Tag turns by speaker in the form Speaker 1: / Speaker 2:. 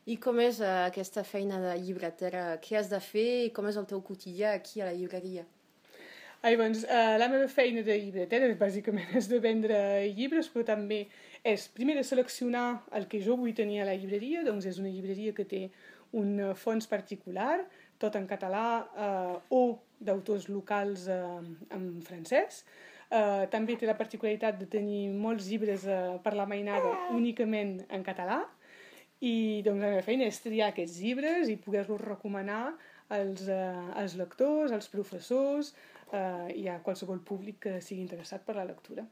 Speaker 1: I com és aquesta feina de llibretera? Què has de fer i com és el teu quotidià aquí a la llibreria?
Speaker 2: Doncs, la meva feina de llibretera bàsicament és de vendre llibres, però també és primer de seleccionar el que jo vull tenir a la llibreria, doncs és una llibreria que té un fons particular, tot en català o d'autors locals en francès. També té la particularitat de tenir molts llibres per la mainada únicament en català, i doncs la meva feina és triar aquests llibres i poder-los recomanar als lectors, als professors i a qualsevol públic que sigui interessat per la lectura.